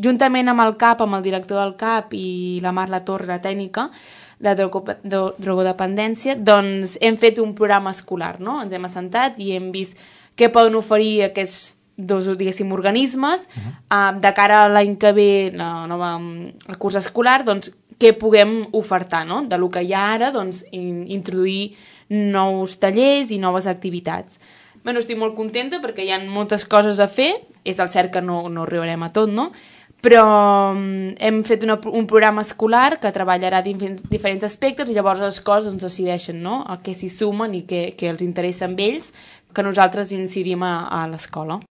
juntament amb el CAP, amb el director del CAP i la Mar La Torre, la tècnica de drogodependència, doncs hem fet un programa escolar, no? Ens hem assentat i hem vist què poden oferir aquests dos, diguéssim, organismes de cara a l'any que ve, el curs escolar, doncs què puguem ofertar, no? De lo que hi ha ara, doncs introduir nous tallers i noves activitats. Bueno, estic molt contenta perquè hi ha moltes coses a fer, és el cert que no arribarem a tot, no? Però hem fet un programa escolar que treballarà diferents aspectes i llavors les coses ens decideixen, no? A què s'hi sumen i què els interessa a ells, que nosaltres incidim a l'escola.